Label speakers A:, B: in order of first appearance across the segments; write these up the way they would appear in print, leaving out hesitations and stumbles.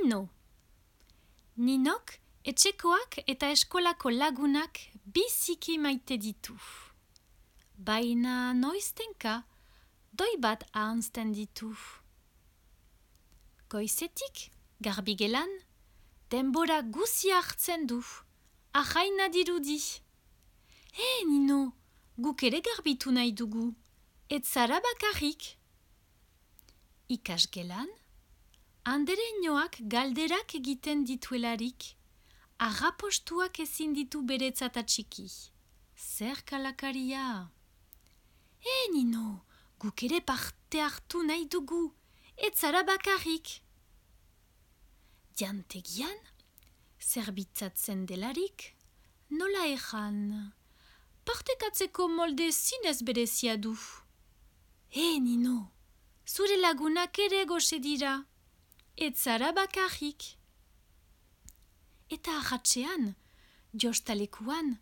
A: Nino. Ninok etxekoak eta eskolako lagunak biziki maite ditu. Baina noiztenka doi bat ahanzten ditu. Goizetik, garbigelan, denbora guzia hartzen du. Ahaina dirudi. Nino, guk ere garbitu nahi dugu. Ez zara bakarrik. Ikasgelan, andereñoak galderak egiten dituelarik, arrapostuak ezin ditu beretzat atxiki. Zer kalakaria? Nino, guk ere parte hartu nahi dugu. Ez zara bakarrik. Jantegian, zerbitzatzen delarik, nola ejan? Partekatzeko molde zinez berezia du. Nino, zure lagunak ere goxe dira. Ez zara bakarrik. Eta ahatxean, jostalekuan,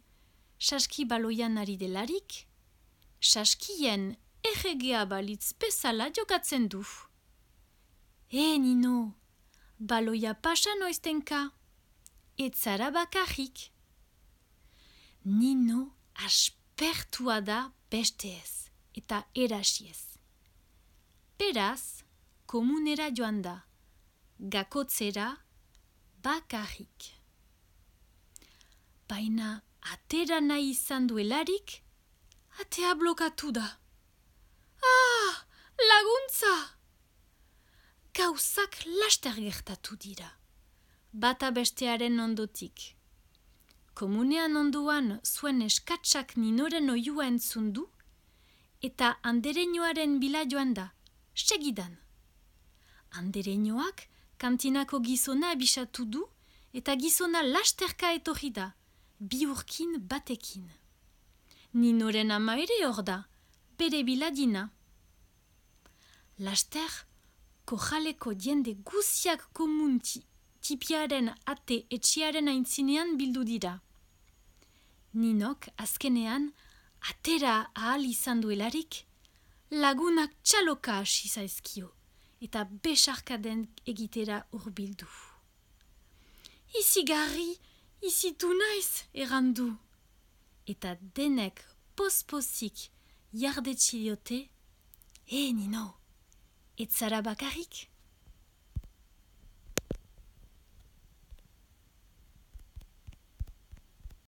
A: saski baloian ari delarik, saskien erregea balitz bezala jokatzen du. Nino, baloia pasa noiztenka. Ez zara bakarrik. Nino aspertua da besteez eta erasiez. Beraz, komunera joan da, gakotzera bakarrik. Baina atera nahi izan duelarik, atea blokatu da. Laguntza! Gauzak laster gertatu dira, bata bestearen ondotik. Komunean onduan zuen eskatsak Ninoren oiua entzun du, eta andereñoaren bila joan da, segidan. Andereñoak kantinako gizona abisatu du, eta gizona lasterka etorri da, biurkin batekin. Ninoren ama ere hor da, bere biladina. Laster, kojaleko jende guziak komun tipiaren ate etxearen aintzinean bildu dira. Ninok azkenean atera ahal izan duelarik, lagunak txaloka hasi zaizkio eta besarkaden egitera hurbildu. Izigarri, izitu naiz, errandu. Eta denek pospozik jardetxi diote, Nino, ez zara bakarrik?